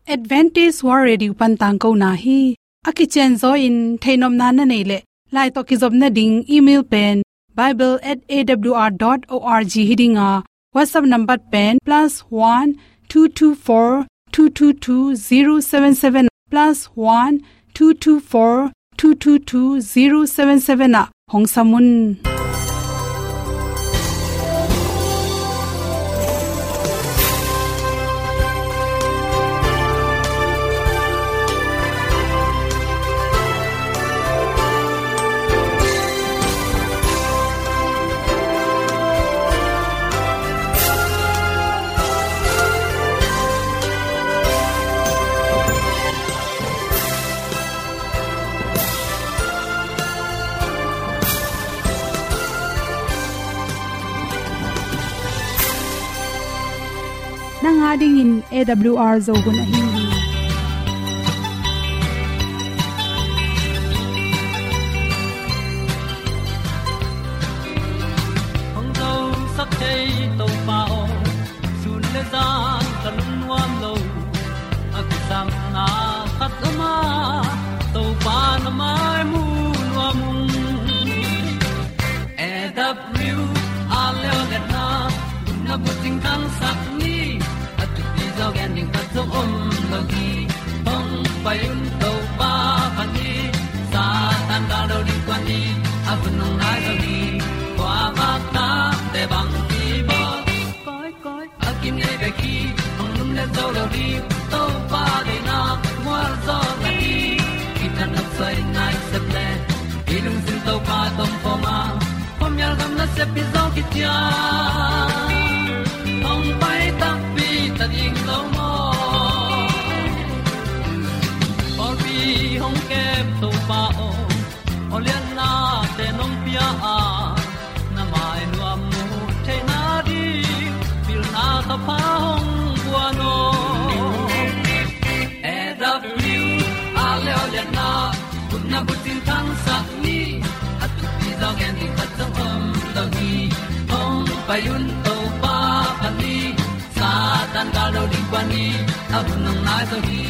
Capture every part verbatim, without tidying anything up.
Adventist World Radio pan tangkona hi. A kicianzaw in theihnopna na neih leh, lai tawh kizopna ding email pen bible at A W R dot org hi ding a, WhatsApp number pen plus one two two four two two two zero seven seven, plus one two two four two two two zero seven seven ah hong sam un. Nang a dingin A W R Zo hun ahi hi. Hong zosak thei Topa aw, sun le zan ka lungnuam lo. A kisapna khat om a, Topa na mai mu nuam ung. A W R Zo hun na bucing khangsak ni, a thupi zaw gen ding khat zong om lo hi. Hong pai un Topa phat ni, Satan gal do ding kuan ni, a hun hong nai zo hi. Kua vak tak te bang hi bawl. Koi, koi, a kinei bek hi, hong lum le zo lo ding, Topa deihna mual zaw na hi. Kithat nopsai nai sep le, i lungsim Topa tawh om khawm a, khuamial gam nasep hi zaw kician. Hong pai takpi ta ding lo maw? Pawlpi hong kem Topa aw, aw lianna te nong pia a, na mai nuam mu theihna ding, pilna ka pha hong guan aw. A W R Zo hun na bucing khangsak ni, a thupi zaw gen ding khat zong om lo hi. Hong pai un Topa phat ni, Satan gal do ding kuan ni, a hun hong nai zo hi.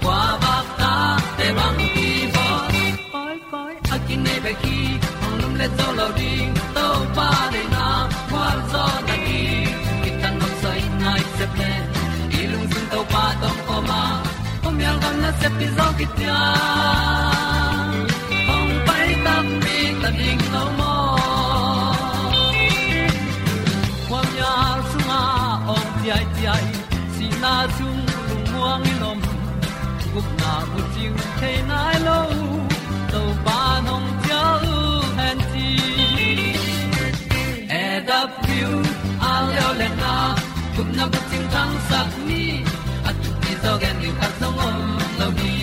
Kua vak tak te bang hi bawl. Koi, koi, a kinei bek hi, hong lum le zo lo ding, Topa deihna mual zaw na hi. Kithat nopsai nai sep le, i lungsim Topa tawh om khawm a, khuamial gam nasep hi zaw kician. Hong pai takpi ta ding lo maw? Khuamial sungah awng ciaiciai, sihna sung lungmuang in om, gupna bucing thei nai lo, Topa nong cial hen ci. A W R Zo hun na gupna bucing khangsak ni, a thupi zaw gen ding khat zong om lo hi.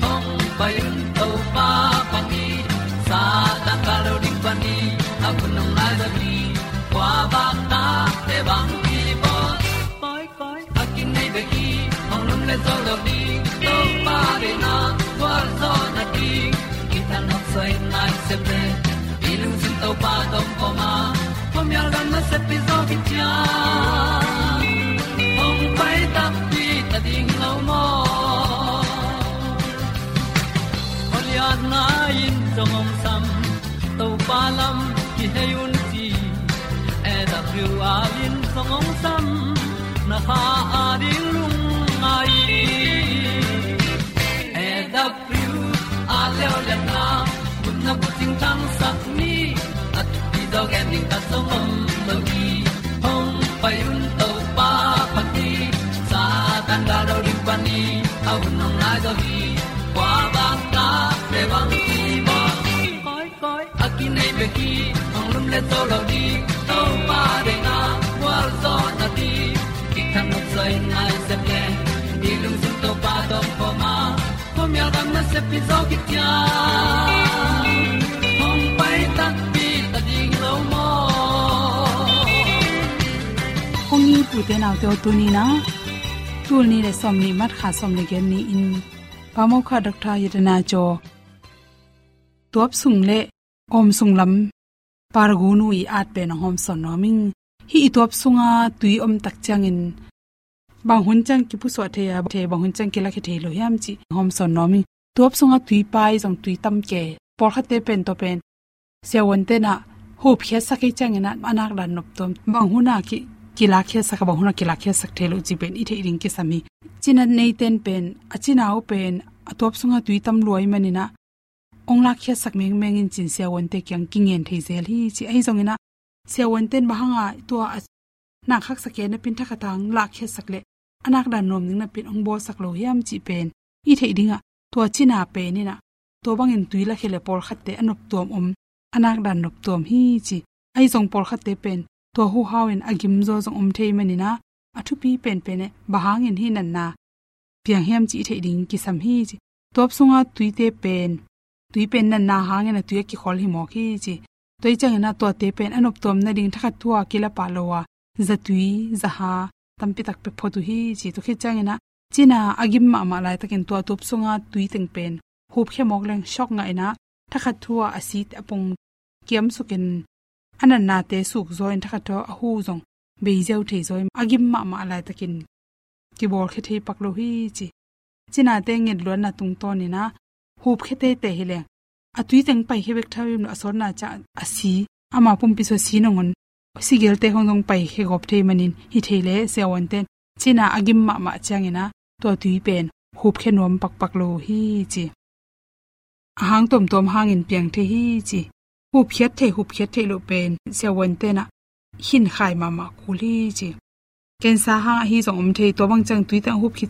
Hong pai un Topa phat ni, Satan gal do ding kuan ni, a hun hong nai zo hi. Kua vak tak te bang hi bawl. Koi, koi, a kinei bek hi, hong lum le zo lo ding, Topa deihna mual zaw na hi. Kithat nopsai nai sep le, i lungsim Topa tawh om khawm a, khuamial gam nasep hi zaw kician. Hong pai takpi ta ding lo maw? Aw lianna in zong hong sam, Topa lam kihei un ci. A W R in zong hong sam, na kha a ding lungngai. A W R Zo hun na bucing khangsak ni, a thupi zaw gen ding khat zong om lo hi. Hong pai un Topa phat ni, Satan gal do ding kuan ni, a hun hong nai zo hi. Kua vak tak te bang hi bawl. Koi, koi, a kinei bek hi, hong lum le zo lo ding, Topa deihna mual zaw na hi. Kithat nopsai nai sep le, i lungsim Topa tawh om khawm a, khuamial gam nasep hi zaw kician. Hong pai takpi ta ding lo maw? Kong it u te nau te aw, tuni in ah, tul nih le sawmnih March kha sawm le giat ni-in, Pa Mokha Doctor Yatana Cho tuap sung le awm sung lam paragunu i at pen hong hawmsawn nuam ing. Hih i tuap sunga tui om tak ciangin bang hun ciang kipusuah thei a, thei bang hun ciang kilakhia thei lo hiam cih hong sawn nuam ing. Tuap sungah tui pai zong tui tam kei. Pawlkhatte pen tua pen siavuante in ah hupkhiatsak hi ciangin ah a nakdan noptuam, bang hun ah ki, kilakkhiatsak a, bang hun ah kilakkhiatsak thei lo cih pen i theih ding kisam hi. Cina neite in pen a cina uh pen a tuap sungah tui tam lua ahih manin ah hong lakkhiatsak mengmeng in ci-in siavuante kiang kingen thei zel hi ci. Ahi zongin ah siavuante in bang hang a tua a nakkhaksa kei napi-in thakhat hang lakkhiatsak leh a nakdan nuam ding napi-in hong bawlsak lo hiam cih pen i theih ding ah, tua cina pen in ah tua bangin tui lakhia leh pawlkhatte a noptuam om, a nakdan noptuam hi ci. Ahi zong pawlkhatte pen tua huhau in a gimzaw zong om thei manin ah a thupi penpen eh bang hangin hih natna piang hiam cih i theih ding kisam hi ci. Tuap sunga tuite pen, tui pen natna hangin a tui a kikhol hi mawk hi ci. Tua hi ciangin ah tuate pen a noptuam nading thakhat thu a kila pah lo a, zatui, zaha tampi tak pia phot uh hi ci. Tua khit ciangin ah cina a gim mahmah laitakin tua tuap sunga tui teng pen hupkhia mawk leng shock ngah in ah thakhat thu a a si a pung kiamsuk in a natnate sukzaw in thakhat thu a hu zong bei ziau thei zaw in a gim mahmah laitakin kibawlkhia thei pak lo hi ci. Cinate ngetluatna tungtawnin ah hupkhia teitei hi leng a tui teng paikhia bek tham lo, a sawtna ciang a si, ama pumpi sung a si nangawn sigelte khong zong paikhia gawp thei manin hi thei leh siavuante in cina a gim mahmah ciangin ah tua tui pen hupkhia nuam pakpak lo hi ci. A hang tuamtuam hangin piang thei hi ci. Hupkhiat thei, hupkhiat theih loh pen siavuante in ah hinkhai mahmah kul hi ci. Cancer hang ahi zong om thei, tua bang ciang tui teng hupkhia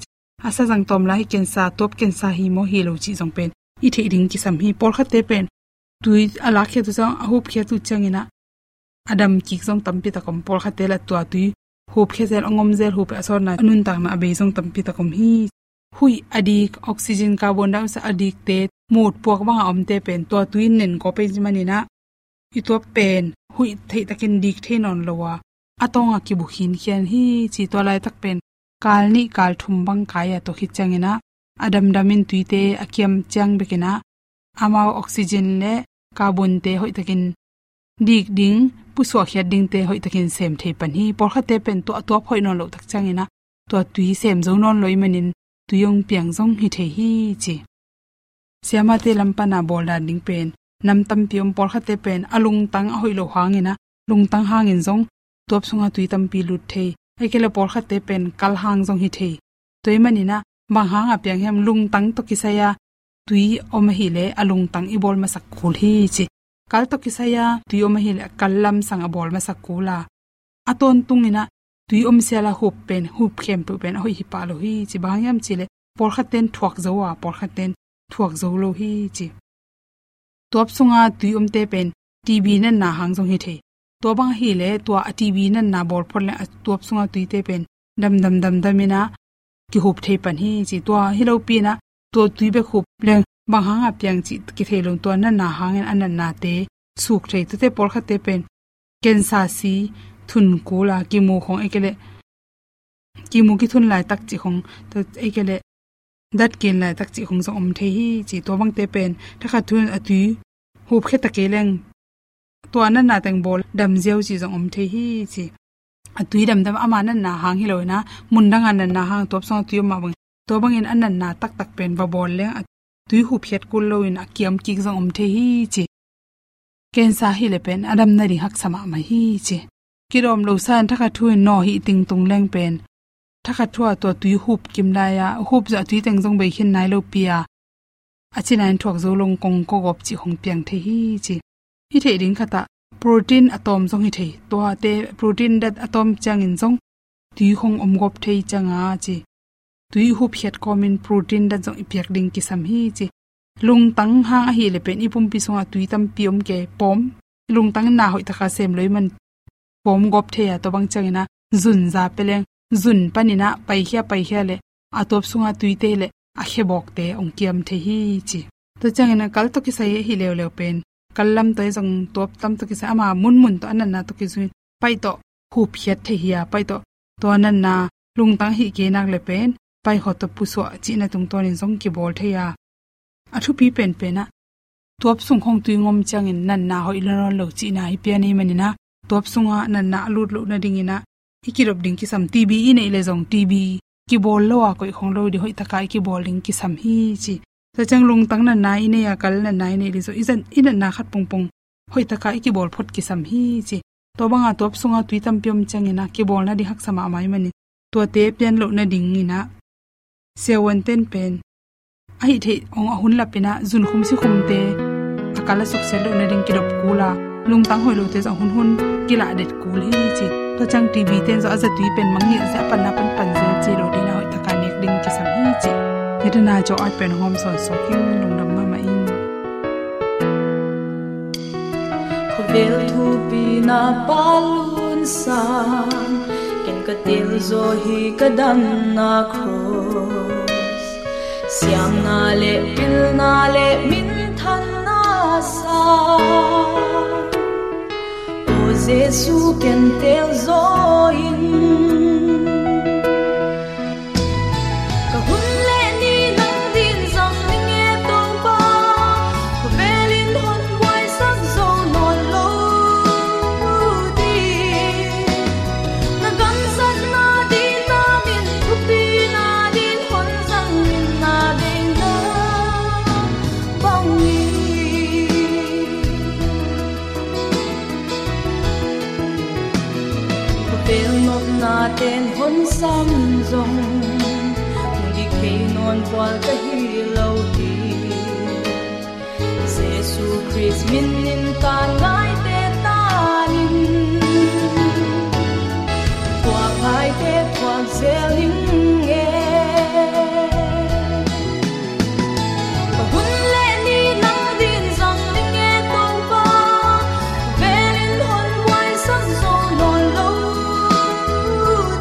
a sazang tawm lai hi cancer, tuap cancer hi maw hi lo cih zong pen i theih ding kisam hi. Pawlkhatte pen tui a lakkhiat uh ciang, a hupkhiat uh ciangin ah a dam kik zong tampi tak om. Pawlkhatte lah tua tui hupkhia zel, a ngom zel, hup a sawtna, a nuntakna a bei zong tampi tak om hi. Huih a dik, oxygen, carbon dioxide a dikte, mut puak bang a omte pen tua tui in nen kawp ahih manin ah i tuap pen huih theih takin dik thei nawn lo a, a tawng a kibu khinkhian hi ci. Tua laitak pen kal nih kal thum bang kai a, tua khit ciangin ah a damdam in tuite a kiam ciang bekin ah amau oxygen leh carbonte hoih takin dik ding, pusuahkhiat dingte hoih takin sem thei pan hi. Pawlkhatte pen tua a tuap hoih nawn loh tak ciangin ah tua tui sem zo nawn lo ahih manin tui hong piang zong hi thei hi ci. Siamate lam pan a bawl dan ding pen nam tampi om. Pawlkhatte pen a lungtang a hoih loh hangin ah, lungtang hangin zong tuap sunga tui tampi lut thei. Ahih kei leh pawlkhatte pen kal hang zong hi thei. Tua ahih manin ah bang hang a piang hiam, lungtang tawh kisai a tui om ahih leh a lungtang i bawl masak kul hi ci. Kal tawh kisai a tui om ahih leh a kal lamsang a bawl masak kul a, a tawntungin ah tui om sial a hup pen, hup khempeuh pen a hoih hi pah lo hi ci. Bang hang hiam cih leh pawlkhatte in thuak zo a, pawlkhatte in thuak zo lo hi ci. Tuap sunga tui omte pen T B natna hang zong hi thei. Tua bang ahih leh tua a T B natna bawl phot leng a tuap sunga tuite pen damdam damdam in ah kihup thei pan hi ci. Tua hi lopi in ah tua tui bek hup leng bang hang a piang cih kithei lo, tua natna hangin a natnate suk thei. Tuate pawlkhatte pen cancer si thun kul a, kimu khong ahih kei leh kimu kithun laitak cih khong, tua ahih kei leh dat kin laitak cih khong zong om thei hi ci. Tua bangte pen thakhat thu in a tui hupkhia ta kei leng tua natna teng bawl dam ziau cih zong om thei hi ci. A tui damdam ama natna hang hi lo in ah, mun dang a natna hang, tuap sunga tui om mah bang, tua bangin a natna taktak pen va bawl leng a tui hupkhiat kul lo in a kiam kik zong om thei hi ci. Cancer hi leh pen a dam nading haksa mahmah hi ci. Kidawm lo sa in thakhat thu in nawh hih tingtung leng pen thakhat thu a tua tui hup kim lai a, hup zawh a tui teng zong bei khin nai lopi a, a cina in thuak zo lo, kong kawgawp cih khong piang thei hi ci. I theih ding khat ah protein a tawm zong hi thei. Tuate protein dat a tawm ciangin zong tui khong om gawp thei ciang a ci. Tui hupkhiat kawmin protein dat zong i piak ding kisam hi ci. Lungtang hang ahih leh pen i pumpi sungah tui tampi om kei, pawm, lungtang na hoih taka sem lo ahih man pawm gawp thei a, tua bang ciangin ah zun za pia leng, zun panin ah paikhia paikhia leh a tuap sunga tuite leh a khebawkte hong kiam thei hi ci. Tua ciangin ah kal tawh kisai ahi leuleu pen, kal lam tawh hi zong tuap lam tawh kisai ama munmun tawh a natna tawh kizui in pai tawh hupkhiat thei hi a, pai tawh tua natna lungtang hih kei nak leh pen pai khawng tawh pusuah cihna tungtawnin zong kibawl thei a, a thupi penpen ah tuap sung khong tui ngom ciangin natna hoih lo nawn lo cihna hi pian ahih manin ah, tuap sungah natna a lut loh nadingin ah i kidop ding kisam. TB i neih leh zong TB kibawl lo a koih khong lo ding, hoih taka i kibawl ding kisam hi ci. Tua ciang lungtang natna i nei a, kal natna i neih leh zong i zat, i natna khat pongpong hoih taka i kibawl phot kisam hi ci. Tua banga tuap sunga tui tampi om ciangin ah kibawl nading haksa mahmah ahih manin tuate pian loh nadingin ah siavuante'n pen a hih theih hong a hun lapin ah zunkhum sikhumte a kal a suksiat loh nading kidop kul a, lungtang hoih lote zong hunhun kilah det kul hi ci. Tua ciang TB te'n zong a zatui pen mangngilh zel, a panna pan pan zel ci lo ding a, hoih taka nek ding kisam hi ci. Hih tana Joe White pen hong hawmsawn suak ing. Lungdam mahmah ing. Khawvel thupi na pa lunsan, ken ka tel zaw hi ka damna cross. Siamna leh pilna leh minthanna sa, aw Jesu ken tel zaw in. Ka hun leh ni nang dingin zang ning e Topa, khawvel in hon buaisak zo nawn lo ding. Na gam zatna ding na min thupina dingin hon zang ning, na deihna bangin. Khawvel nopna te'n hon sam zong, hong dik thei nawn bual ka hi lo hi. Jesu Khrist min in taan ngaite taan in, thuak ngaite thuak zel ning e. Ka hun leh ni nang dingin zang ning e Topa, khawvel in hon buaisak zo nawn lo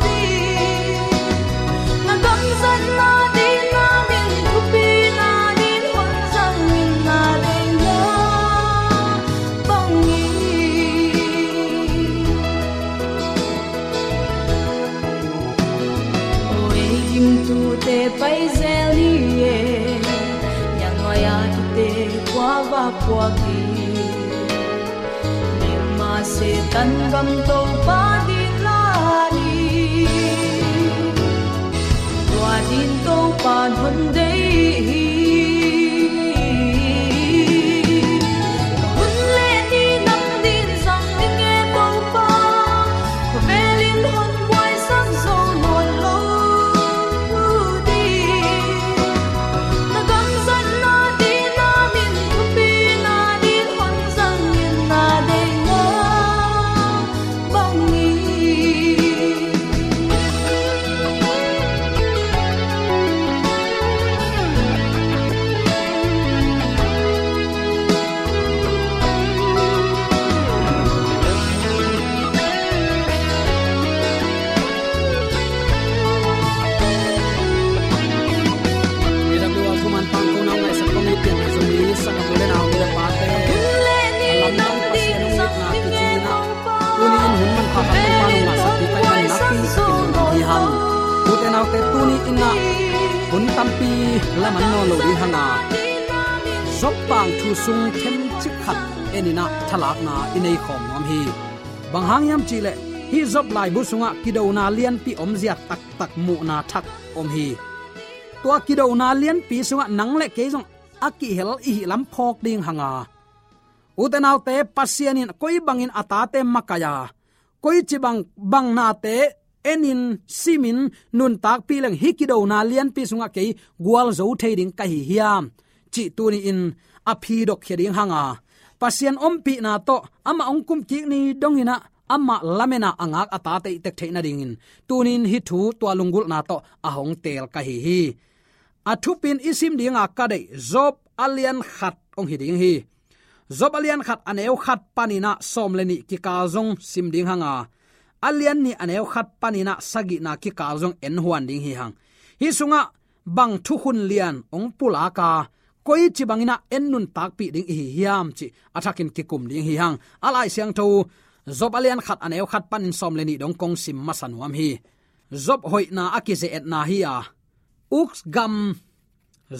ding. Na gam zatna dingin na min thupina dingin hon zang ning, na deihna bangin. Aw ei gimtute pai zel ni e, nial nuai a kite kua va puak hi. Milma Setan gam Topa ding lai ni, tua dingin Topa'n hon deih hi. Ka hun leh ni nang dingin zang ning e Topa, khawvel in hon buaisak zo nawn lo ding. Na gam zatna dingin na min thupina dingin hon zang ning, na deihna bangin. A W R thuman pangko nau ngaihsak kong it pian Zomi sanggamnu le nau, nu le pate, a lamdang Pasian hong itna kici in ah, tuni in hun manpha khat Topa nong ngahsak ding ka hihna pi ka pia nuam hi hang. Ute naute, tuni in ah hun tampi laman nawn lo ding hang a, Job tangthu sung themcik khat en in ah thalakna i nei khawm nuam hi. Bang hang hiam cih leh hih Job laibu sungah kidona lianpi omzia taktak muhna thak om hi. Tua kidona lianpi sungah nang le kei zong a kihel i hih lam phawk ding hang a, ute naute, Pasian in koi bangin a tate makaih a, koici bang, bang nate enin, simin, nuntakpih leng hih kidona lianpi sungah kei gualzo thei ding ka hi hiam cih tuni in a phi dok khia ding hang a, Pasian ompihna tawh amah hong kumkik ni dongin ah amah lamen a a ngak a tate i tek theih nadingin tuni in hih thu tua lunggulhna tawh a hong teel ka hi hi. A thupin i sim dinga ka deih Job a lian khat hong hi ding hi. Job a lian khat a neu khat panin ah sawm le nih kikal zong sim ding hang a, a lian nih a neu khat panin ah sagihna kikal zong en huan ding hi hang. Hih sungah bang thukhun lian hong pulak a, koici bangin ah en nuntakpih ding i hi hiam cih a thakin kikum ding hi hang. A Lai Siangtho Job a lian khat a neu khat panin sawm le nih dong kong sim masa nuam hi. Job hoihna a kize-etna hi a, Uz gam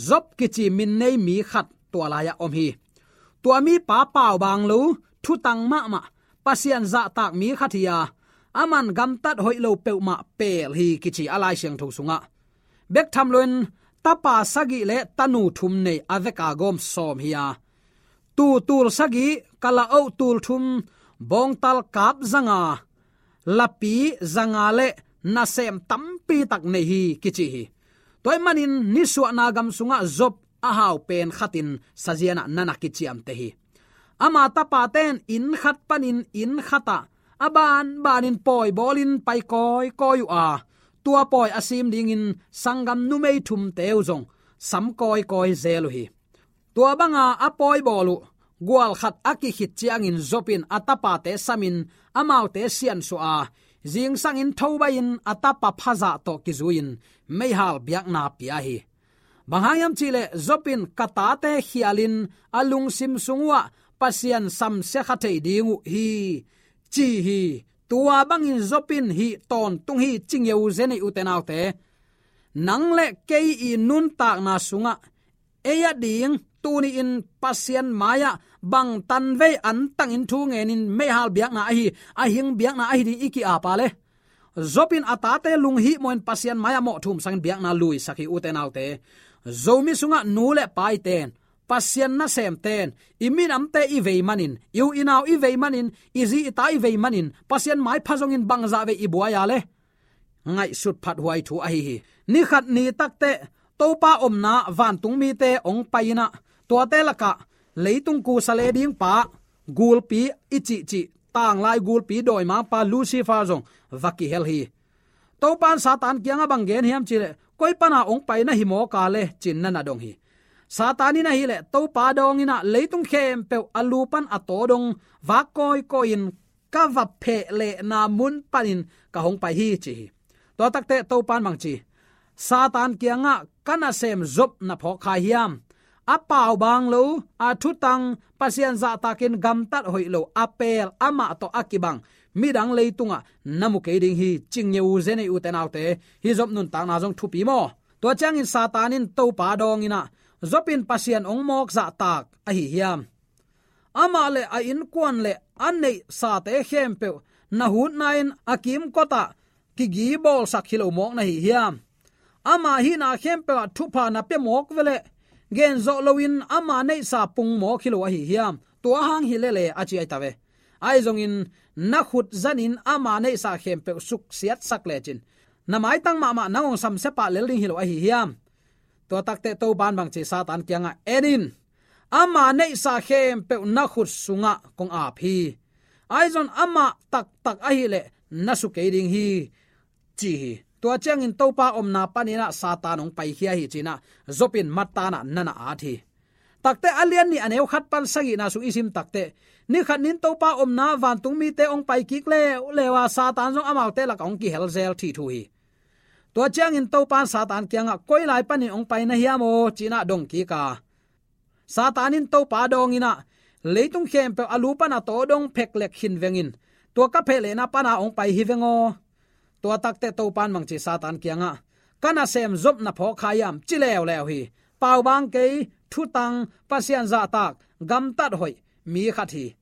Job kici min nei mi khat tua lai-ah om hi. Tua mipa paubaang lo, thutang mahmah, Pasian zahtak mi khat hi a, aman gamtat hoih lo peuhmah peel hi kici a Lai Siangtho sungah. Bek tham loin tapa sagih le tanu thum nei a veka gawm sawm hi a, tuu tul sagih, kalaoh tul thum, bawngtal kap zanga, lapi zanga le nasem tampi tak nei hi kici hi. Tua ahih manin nisuahna gam sungah Job a hau pen khatin sazianah na na kiciamteh hi. Ama tapaten inn khat panin inn khatah a banbanin pawi bawlin pai kawikawi uh a, tua pawi a sim dingin sanggam numei thumte uh zong sam kawikawi zel uh hi. Tua banga a pawi bawl uh gual khat a kikhit ciangin Job in a tapate samin amaute siansuah a, zingsangin thobaihin a tapa phazah tawh kizui-in meihal biakna pia hi. Bang hang hiam cihleh Job in, "Ka tate khialin a lungsim sung uhah Pasian samsia kha thei ding uh hi," ci hi. Tua bangin Job in hih tawntung hi, ci ngiauze nei ute naute. Nang le kei i nuntakna sungah ei a ding tuni-in Pasian mai-ah bang tanvei antangin thu ngenin meihal biakna ahi, a hing biakna ahi ding i ki-ap a le, Job in a tate lunghihmawhin Pasian mai-ah mawh thum sangin biakna luisak hi ute naute. Zomi sungah nu le paiten, Pasian nasemten, i minamte i vei manin, i u i nau i vei manin, i zi i ta i vei manin, Pasian mai pha zongin bangzah vei i buai a le, ngaihsut phathuai thu ahi hi. Ni khat ni takteh Topa omna vantung mite hong pai-in ah, tuate lakah leitung kusa le ding pa, gulpi i cihcih, tanglai gulpi dawimangpa Lucifer zong va kihel hi. Topa in Satan kiangah bang gen hiam cihleh, "Koi pana hong pai na hi mawk a le?" ci-in na na dong hi. Satan in ahileh Topa dawngin ah, "Leitung khempeuh a lu pan a taw dong vak kawikawi-in ka va phehlehna mun panin ka hong pai hi," ci hi. Tua takteh Topa in bang ci, Satan kiangah, "Ka nasem Job na phawk kha hiam? A paubaang lo, a thutang, Pasian zahtakin gamtat hoih lo, a peel, amah tawh a kibang midang leitungah na mu kei ding hi," ci ngiauze nei ute naute. Hih Job nuntakna zong thupi maw? Tua ciangin Satan in Topa dawngin ah, "Job in Pasian hong mawk zahtak ahi hiam? Amah le a innkuan le a neihsate khempeuh na hutna-in a kimkotah kigi bawlsak hi lo mawk na hi hiam? Ama hihna khempeuh ah thupha na pia mawk veleh, genzawh loin ama neihsa pung mawk hi lo ahi hiam? Tua hang hi lele," a ci ahi ta ve. "Ahi zongin na khut zanin ama neihsa khempeuh suksiatsak lecin, na maitang mahmah nang hong samsia pah lel ding hi lo ahi hiam?" Tua takteh Topa in bang ci, Satan kiangah, "En in, ama neihsa khempeuh na khut sungah kong ap hi. Ahi zong amah taktak ahileh na su kei ding hi," ci hi. Tua ciangin Topa omna panin ah Satan hong paikhia hi ci-in ah Job in mattan ah na na at hi. Takteh a lian nih a neu khat pan sagihna sung i sim takteh, ni khat ni-in Topa omna vantung mite hong pai kik leuleu a, Satan zong amaute lakah hong kihel zel thithu hi. Tua ciangin Topa in Satan kiangah, "Koi lai panin hong pai na hiam aw?" ci-in ah dong kik a, Satan in Topa dawngin ah, "Leitung khempeuh a lu pan a taw dong pheklek khin veng in, tua ka phehlehna pana hong pai hi veng aw." Tua takteh Topa in bang ci, Satan kiangah, "Ka nasem Job na phawk kha hiam?" ci leuleu hi. "Paubaang kei, thutang, Pasian zahtak, gamtat hoih mi khat hi.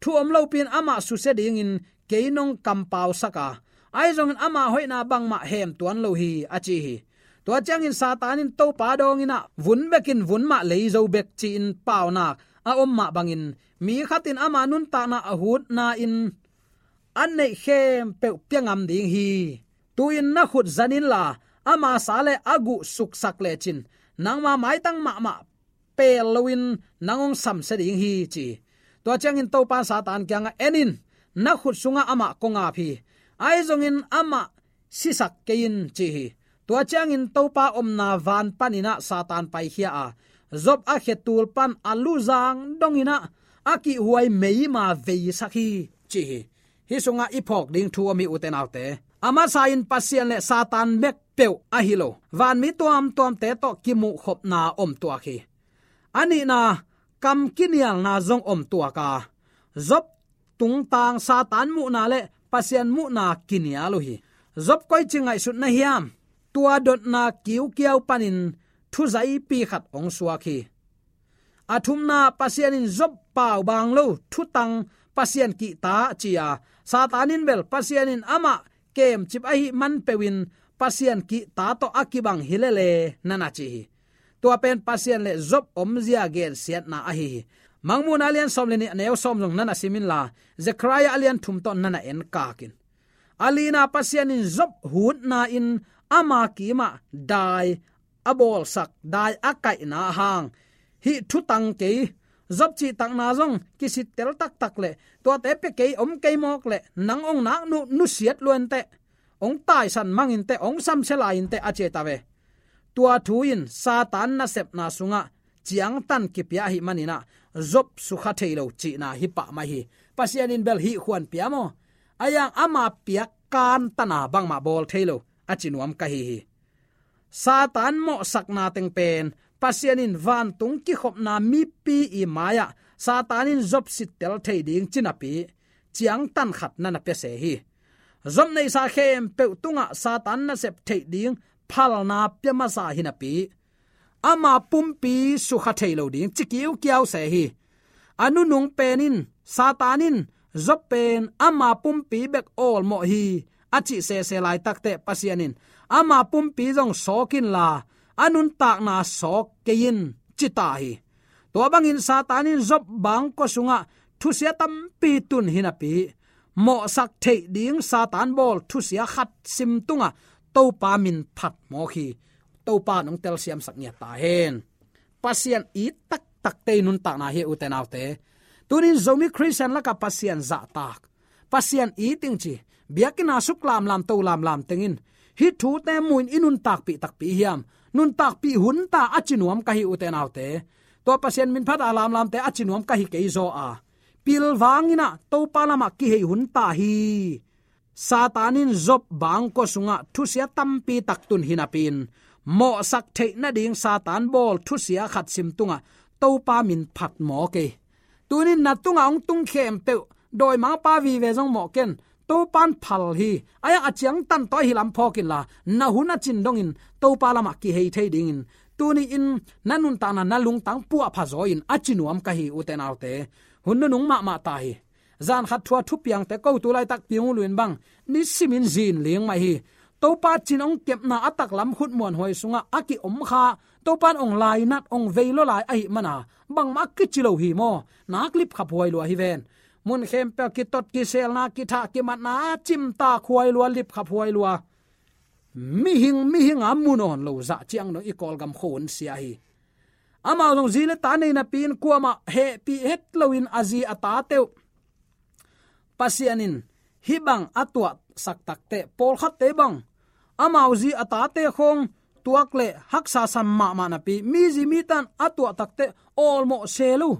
Thu om lopi-in amah susia dingin kei nong kampausak a, ahi zongin ama hoihna bangmah hem tuan lo hi," a ci hi. Tua ciangin Satan in Topa dawngin ah, "Vun bekin vun mah lei zo bek," ci-in paunak a om mah bangin, mi khat in ama nuntakna a hutna-in a neih khempeuh pia ngam ding hi. "Tu-in na khut zan inla, ama sa le a guh suksak lecin, nangma maitang mahmah peel loin nang hong samsia ding hi," ci hi. Tua ciangin Topa in Satan kiangah, "En in, na khut sungah amah kong ap hi. Ahi zongin amah sisak kei in," ci hi. Tua ciangin Topa omna van panin ah Satan paikhia a, Job a khetul pan a luzang dongin ah a kihhuai meima veisak hi, ci hi. Hih sungah i phawk ding thu om hi, ute naute. A masa-in Pasian le Satan bek peuh ahi lo, vanmi tuamtuamte tawh kimuhkhopna om tuak hi. A nihna, kam kinialna zong om tuak a, Job tungtang Satan muhna le Pasian muhna kinial uh hi. Job koici ngaihsut na hiam? Tua dotna kiukiau panin thuzaipi khat hong suak hi. A thumna, Pasian in Job paubaang lo, thutang, Pasian kihta ci-a Satan in bel Pasian in amah kemcip ahih man peuhin Pasian kihta tawh a kibang hi lele na na ci hi. Tua pen Pasian le Job omzia gensiatna ahi hi. Mangmuhna a lian sawm le nih a neu sawm zong na na sim inla, Zekhariah a lian thum tawh na na enkak in. A lina, Pasian in Job hutna in ama kimah dai a bawlsak, dai a kaihna hang hih thutang kei, Job cihtakna zong kisittel taktak le tuate pia kei om kei mawk le nang ong nak nu, nusiat lua inteh, ong taisan mang inteh, ong samsia lai inteh a ci ta ve. Tua thu in Satan nasepna sungah ciangtan kipia ahih maninah Job sukha thei lo cihna hi pah mai hi. Pasian in bel hih khuan pia maw? A yang ama piak kantana bangmah bawl thei lo a ci nuam ka hi hi. Satan mawhsakna teng pen Pasian in vantung kikhopna mipi i mai-ah Satan in Job sittel thei ding ci napi ciangtan khat na na pia se hi. Job neihsa khempeuh tungah Satan nasep theih ding phalna pia masa hi napi ama pumpi sukha thei lo ding ci kiukiau se hi. A nunung pen in Satan in Job pen ama pumpi bek awlmawh hi a cih sese laitakteh Pasian in ama pumpi zong sawk inla a nuntakna sawk kei in ci ta hi. Tua bangin Satan in Job bangkua sungah thusia tampi tun hi napi mawhsak theih ding Satan bawl thusia khat sim tungah Topa min phat mawk hi. Topa nong telsiamsak ngiat ta hen. Pasian it taktakte i nuntakna hi, ute naute. Tunin Zomi Khristian lakah Pasian zahtak, Pasian it ing ci, biakinn a suk lamlam, to lamlam tengin hih thute mu-in i nuntakpih takpi hiam? Nuntakpih hun ta a ci nuam ka hi, ute naute. Tua Pasian min phat a lamlamte a ci nuam ka hi kei zaw a, pilvang inah Topa lamah kihei hun ta hi. Satan in Job bangkua sungah thusia tampi tak tun hi napi-in mawhsak theih nading Satan bawl thusia khat sim tungah Topa min phat mawk hi. Tunin na tungah hong tung khempeuh dawimangpa vive zong mawh ken, Topan phal hi. A yang a ciangtan tawh ahi lam phawk inla, na hun a cin dongin Topa lamah kihei thei dingin tuni-in na nuntakna na lungtang puahpha zaw in a ci nuam ka hi, ute naute. Hun nunung mahmah ta hi. Zan khat thu a thupiangte ko tu laitak piang uh luin bang nisimin zin ling mah hi. Topa cin hong kepna a taklam khut muanhuai sungah a ki-om kha, Topan hong lainat, hong vei lua lai ahih mana bangmah a kici lo hi maw? Nak lipkhap huai lua hi ven. Mun khempeuh kitot kiselna, kithah kimatna, cimtak huai lua, lipkhap huai lua. Mihing mihing a mu nawn lo zah ciang dong i Kawlgam khua hun sia hi. Amau zong zi le ta nei napi-in kuamah hehpih het loin a zi a tate uh Pasian in hih bang a tuahsak takteh, pawlkhatte bang amau zi a tate khawng tuak le haksa sam mahmah napi, mi zi mi tan a tuah takteh awlmawh se lo.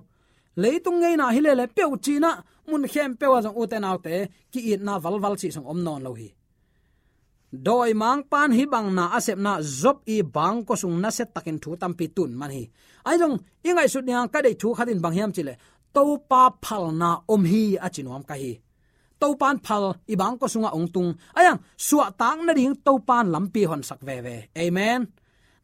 Leitung ngeina hi lele peuh cinah mun khempeuh ah zong, ute naute, ki-itna valval cih zong om nawn lo hi. Dawimangpan hih bang na a sepna Job i bangkua sung nasia takin thu tampi tun man hi. Ahi zong i ngaihsut dinga ka deih thu khat in bang hiam cihleh, Topa phalna om hi a ci nuam ka hi. Topan phal i bangkua sungah hong tung. A yang suahtak nading Topan lampi honsak veve. Amen.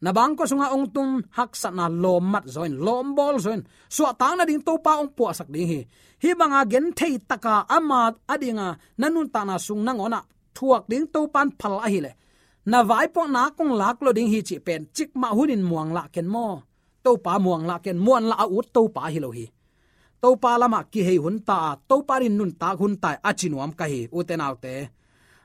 Na bangkua sungah hong tung haksatna lawm mat zaw in, lawm bawl zaw in, suahtak nading Topa hong puahsak ding hi. Hih banga genthei taka ama a dinga na nuntakna sung nangawnah thuak ding Topan phal ahileh, na vaipuak nak hong lak lo ding hi cih pen cikmah hunin muanglah ken maw? Topa muanglah ken, muanlah a ut Topa hi lo hi. Topa lamah kihei hun ta a, Topa din nuntak hun ta a ci nuam ka hi, ute naute.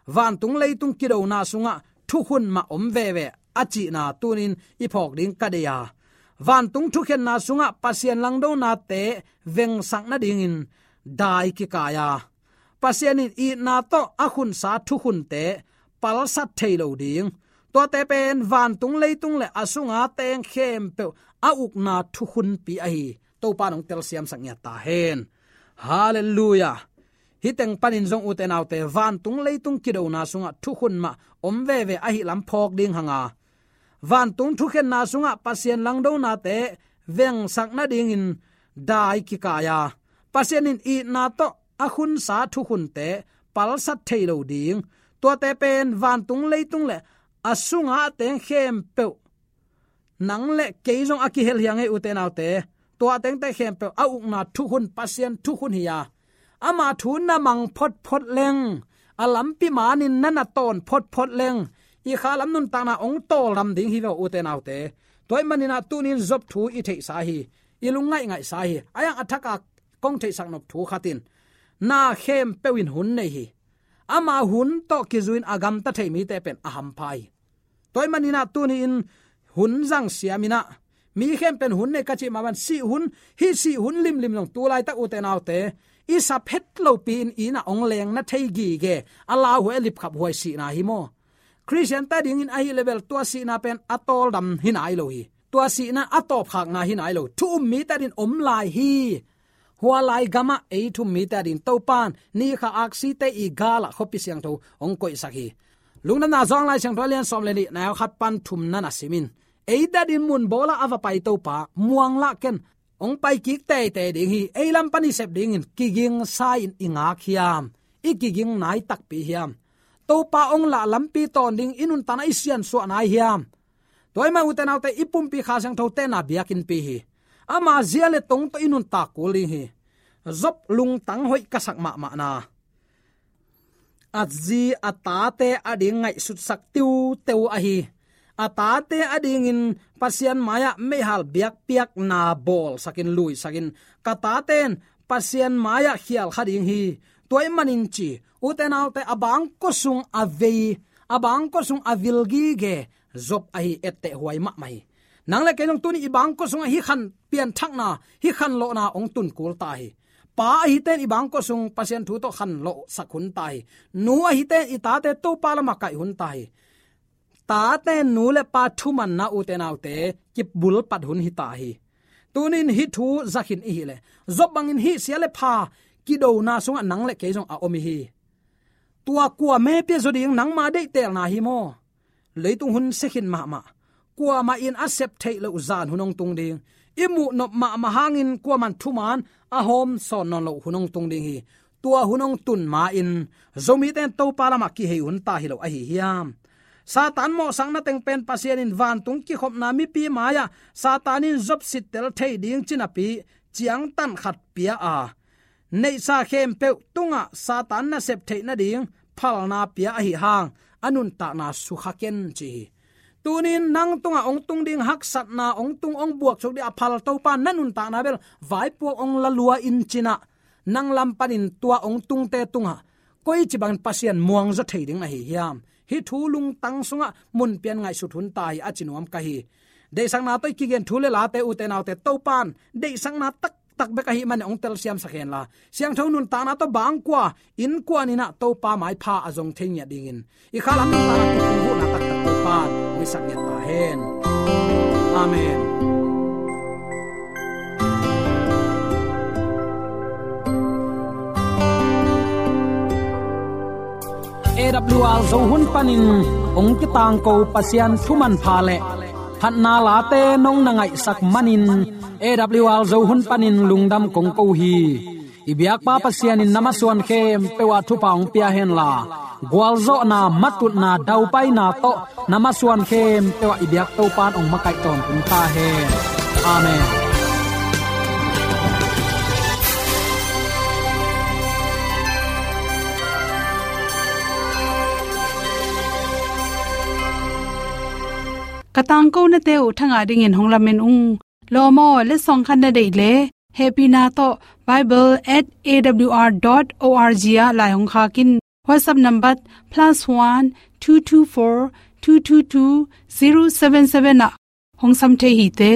Vantung leitung kidona sungah thukhun mah om veve a cihna tunin i phawk ding ka deih a, vantung thukhenna sungah Pasian langdonate vengsak nadingin dai kikai a, Pasian in itna tawh a khunsa thukhunte palsat thei lo ding. Tuate pen vantung leitung le a sunga teng khempeuh a ukna thukhunpi ahi. Topa nong telsiamsak ngiat ta hen. Halleluiah. Hih teng panin zong, ute naute, vantung leitung kidona sungah thukhun mah om veve ahi lam phawk ding hanga, vantung thukhenna sungah Pasian langdonate vengsak nadingin dai kikai a, Pasian in itna tawh a khunsa thukhunte palsat thei lo ding. Tuate pen vantung leitung le a sunga a teng khempeuh, nang le kei zong a kihel hi a ngei, ute naute. Tua tengte khempeuh a ukna thukhun, Pasian thukhun hi a, Ama thu na mang photphot leng, a lampi manin na na tawn photphot leng, i kha lam nuntakna hong tawldam ding hi ve, ute naute. Tua ahih manin ah tuni-in Job thu i theihsa hi, i lungngaih ngaihsa hi. A yang a thak a kong theihsak nop thu khat in, na khempeuh in hun nei hi. Ama hun tawh kizui-in a gamta thei mite pen a hampha hi. Tua ahih manin ah tuni-in hun zang siam in ah, mi khempeuh in hun nei ka cih mah bangin sih hun, hih sih hun limlim zong tu laitak, ute naute, i sap het lopi-in inn ah hong leng na thei gige, a lauhuai, a lipkhaphuai sihna hi maw. Khristiante adingin ahih leh bel tua sihna pen a tawldam hi nai lo hi. Tua sihna a tawpkhakna hi nai lo. Thu um mite adingin om lai hi. Hua lai gamah ei thu um mite adingin Topa'n ni khat aksite i galah khuapi siangtho hong koihsak hi. Lungdamna Johan Lai Siangtho a lian sawm le nih, neu khat pan thumna na sim in, eite adingin mun bawlah a va pai Topa, muang lah ken, hong pai kik teitei ding hi. Ei lam pan i sep dingin kiging sa-in i ngak hiam? I kiging nai takpi hiam? Topa hong lah lampi tawn ding i nuntakna i siansuah nai hiam? Tua ahih manin, ute naute, i pumpi Kha Siangthote na biakinnpi hi. Ama zia le tong tawh i nuntak kul ding hi. Job lungtang hoih ka sak mahmahna, a zi a tate ading ngaihsutsak tiuteu ahi. A tate adingin Pasian mai-ah meihal biakpiakna bawlsakin, luisakin, ka tate'n Pasian mai-ah khial kha ding hi. Tua ahih manin ci, ute naute, a bangkua sung a vei, a bangkua sung a vil gige Job ahi, etteh huai mahmah hi. Nang le kei zong tuni i bangkua sungah hih khan pianthakna, hih khanlawhna hong tun kul ta hi. Pa ahite'n i bangkua sung Pasian thu tawh khanlawhsak hun ta hi. Nu ahite'n i tate Topa lamah kaih hun ta hi. Tate'n nu le pa thumanna, ute naute, kibulpat hun hi ta hi. Tuni-in hih thu za khin i hih leh, Job bangin hih sia le pha kidona sungah nang le kei zong a om i hi. Tua kua mepia zaw ding, nangma deihtelna hi maw? Leitung hun sia khin mahmah. Kuamah in a sep theih loh zan hun hong tung ding. I muh nop mahmah hangin kuaman thuman a hawm sawn nawn loh hun hong tung ding hi. Tua hun hong tun ma-in Zomite'n Topa lamah kihei hun ta hi lo ahi hiam? Satan mawhsakna teng pen Pasian in vantung kikhopna mipi mai-ah Satan in Job sittel thei ding ci napi ciangtan khat pia a, neihsa khempeuh tungah Satan nasep theih nading phalna pia ahi hang, a nuntakna sukha ken ci hi. Tuni-in nang tungah hong tung ding haksatna, hong tung, hong buaksuk ding a phal Topa na nuntakna bel vaipuak hong la lua in ci-in ah, nang lam panin tua hong tungte tungah koici bangin Pasian muangzaw thei ding na hi hiam? Hih thu lungtang sungah mun pian ngaihsut hun ta hi, a ci nuam ka hi. Deihsakna tawh i kigen thu le late, ute naute, Topa'n deihsakna taktak bek ahih manin hong telsiamsak hen la, siangtho nuntakna tawh bangkua innkuan in ah Topa maipha a zong thei ngiat dingin, i kha lam nuntakna tawh kong vuhna taktak Topa'n hong hisak ngiat ta hen. Amen. A W R Zo hun panin hong kitangko Pasian thuman pha le phatna late nong na ngaihsak manin, A W R Zo hun panin lungdam kong ko hi. I biakpa Pasian in na masuan khempeuh ah thupha hong pia hen la, gualzawhna, matutna, daupaina tawh na masuan khempeuh ah i biak Topa'n hong makaih tawntung ta hen. Amen. Ka tangkonate uh thangah dingin hong lamen ung. Lawm aw, letsong khat na deih leh, hehpihna tawh bible at A W R dot O R G ah lai hong khak in. WhatsApp number plus one two two four two two two zero seven seven ah hong sam thei hi te.